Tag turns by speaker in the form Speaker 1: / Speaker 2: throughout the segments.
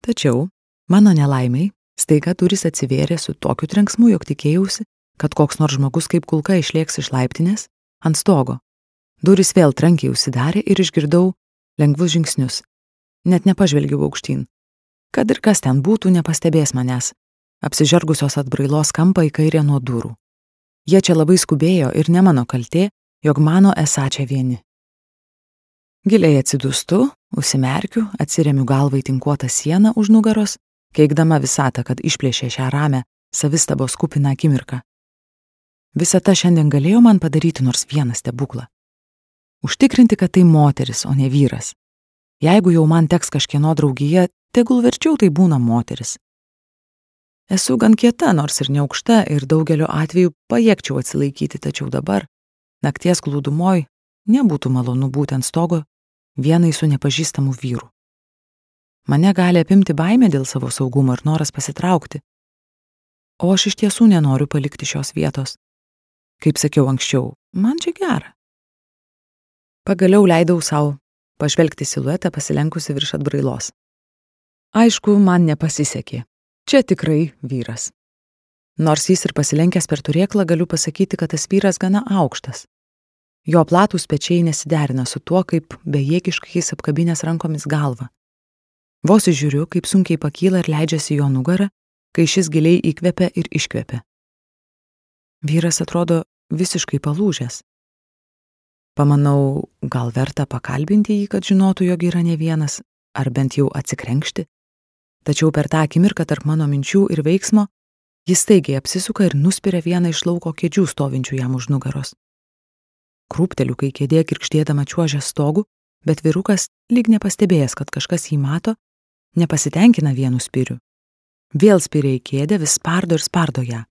Speaker 1: Tačiau, mano nelaimiai, staiga durys atsivėrė su tokiu trenksmu, jog tikėjausi, kad koks nors žmogus kaip kulka išlėks iš laiptinės ant stogo. Durys vėl trankiai užsidarė ir išgirdau lengvus žingsnius. Net nepažvelgiau aukštyn. Kad ir kas ten būtų, nepastebės manęs, apsižergusios atbrailos kampą į kairę nuo durų. Jie čia labai skubėjo ir ne mano kaltė, jog mano esą čia vieni. Giliai atsidūstu, užsimerkiu, atsiremiu galvą į tinkuotą sieną už nugaros, keikdama visatą, kad išplėšė šią ramę, savistabos kupiną akimirką. Visata šiandien galėjo man padaryti nors vieną stebuklą. Užtikrinti, kad tai moteris, o ne vyras. Jeigu jau man teks kažkieno draugija, tegul verčiau tai būna moteris. Esu gan kieta, nors ir neaukšta, ir daugeliu atveju pajėgčiau atsilaikyti, tačiau dabar, nakties glūdumoj, nebūtų malonu būti ant stogo vienai su nepažįstamu vyru. Mane gali apimti baimė dėl savo saugumo ir noras pasitraukti. O aš iš tiesų nenoriu palikti šios vietos. Kaip sakiau anksčiau, man čia gera. Pagaliau leidau sau pažvelgti siluetą pasilenkusi virš atbrailos. Aišku, man nepasisekė. Čia tikrai vyras. Nors jis ir pasilenkęs per turėklą, galiu pasakyti, kad tas vyras gana aukštas. Jo platūs pečiai nesiderina su tuo, kaip bejėgiškai jis apkabinęs rankomis galvą. Vos žiūriu, kaip sunkiai pakyla ir leidžiasi jo nugarą, kai šis giliai įkvepia ir iškvepia. Vyras atrodo visiškai palūžęs. Pamanau, gal verta pakalbinti jį, kad žinotų, jog yra ne vienas, ar bent jau atsikrenkšti. Tačiau per tą akimirką tarp mano minčių ir veiksmo jis staigiai apsisuka ir nuspiria vieną iš lauko kėdžių stovinčių jam už nugaros. Krūpteliu, kai kėdė kirkštėdama čiuožia stogu, bet vyrukas, lyg nepastebėjęs, kad kažkas jį mato, nepasitenkina vienu spiriu. Vėl spiria į kėdę, vis spardo ir spardo ją.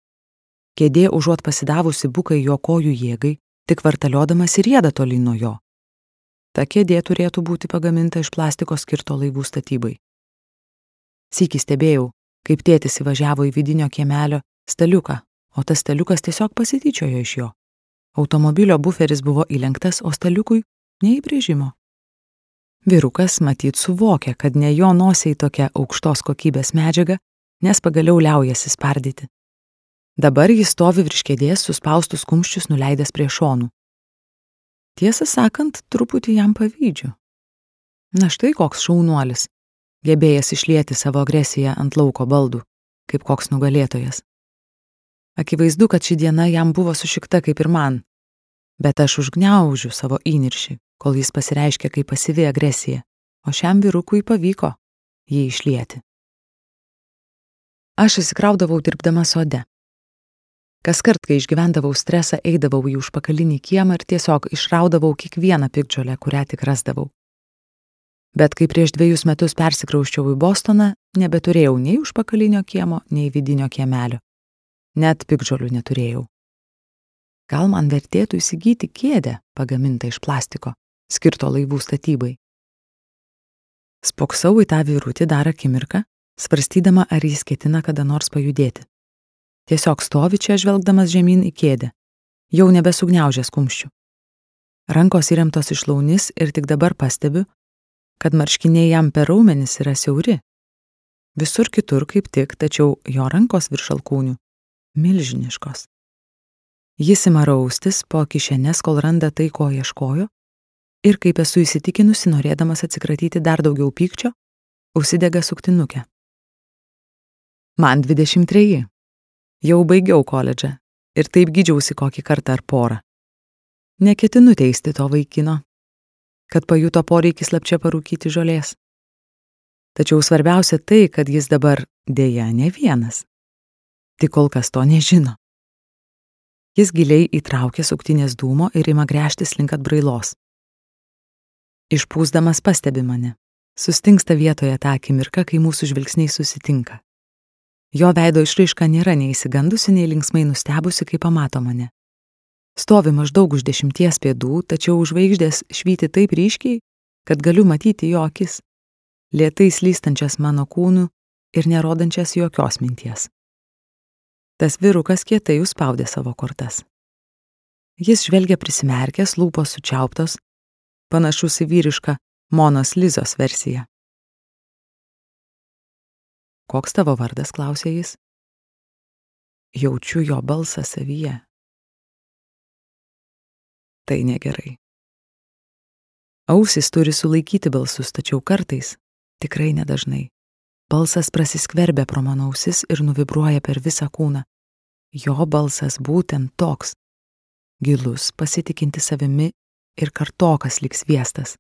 Speaker 1: Kėdė užuot pasidavusi bukai jo kojų jėgai, tik vartaliodamas ir rieda tolyn nuo jo. Ta kėdė turėtų būti pagaminta iš plastiko skirto laivų statybai. Sykį stebėjau, kaip tėtis įvažiavo į vidinio kiemelio staliuką, o tas staliukas tiesiog pasityčiojo iš jo. Automobilio buferis buvo įlenktas, o staliukui neįbrėžimo. Vyrukas matyt suvokia, kad ne jo nosiai tokia aukštos kokybės medžiaga, nes pagaliau liaujasi spardyti. Dabar jis stovi virš kėdės suspaustus kumščius nuleidęs prie šonų. Tiesą sakant, truputį jam pavydžiu. Na štai koks šaunuolis, gebėjęs išlieti savo agresiją ant lauko baldų, kaip koks nugalėtojas. Akivaizdu, kad ši diena jam buvo sušikta kaip ir man, bet aš užgniaužiu savo įniršį, kol jis pasireiškia kaip pasyvi agresija, o šiam vyrukui pavyko jį išlieti. Aš įsikraudavau dirbdama sode. Kaskart, kai išgyvendavau stresą, eidavau į užpakalinį kiemą ir tiesiog išraudavau kiekvieną piktžolę, kurią tik rasdavau. Bet kai prieš 2 metus persikrausčiau į Bostoną, nebeturėjau nei užpakalinio kiemo, nei vidinio kiemelio. Net piktžolių neturėjau. Gal man vertėtų įsigyti kėdę pagamintą iš plastiko, skirto laivų statybai. Spoksau į tą vyrutį dar akimirką, svarstydama, ar jis ketina kada nors pajudėti. Tiesiog stovi čia žvelgdamas žemyn į kėdę, jau nebesugniaužęs kumščių. Rankos įremtos iš launis ir tik dabar pastebiu, kad marškiniai jam per raumenis yra siauri. Visur kitur kaip tik, tačiau jo rankos virš alkūnių milžiniškos. Jis ima raustis po kišenes, kol randa tai, ko ieškojo, ir kaip esu įsitikinusi, norėdamas atsikratyti dar daugiau pykčio, užsidega suktinukę. Man 23. Jau baigiau koledžą ir taip gydžiausi kokį kartą ar porą. Neketinu teisti to vaikino, kad pajuto poreikį slapčia parūkyti žolės. Tačiau svarbiausia tai, kad jis dabar dėja ne vienas. Tik kol kas to nežino. Jis giliai įtraukia suktinės dūmo ir ima gręžtis link atbrailos. Išpūsdamas pastebi mane. Sustingsta vietoje tą akimirką, kai mūsų žvilgsniai susitinka. Jo veido išraiška nėra nei išsigandusi, nei linksmai nustebusi, kai pamato mane. Stovi maždaug už 10 pėdų, tačiau žvaigždės švyti taip ryškiai, kad galiu matyti jo akis, lėtai slystančias mano kūnu ir nerodančias jokios minties. Tas vyrukas kietai užspaudė savo kortas. Jis žvelgia prisimerkęs, lūpos sučiauptos, panašus į vyrišką Monos Lizos versiją. Koks tavo vardas, klausė jis. Jaučiu jo balsą savyje. Tai negerai. Ausys turi sulaikyti balsus, tačiau kartais, tikrai nedažnai, balsas prasiskverbia pro mano ausis ir nuvibruoja per visą kūną. Jo balsas būtent toks. Gilus, pasitikinti savimi ir kartokas lyg sviestas.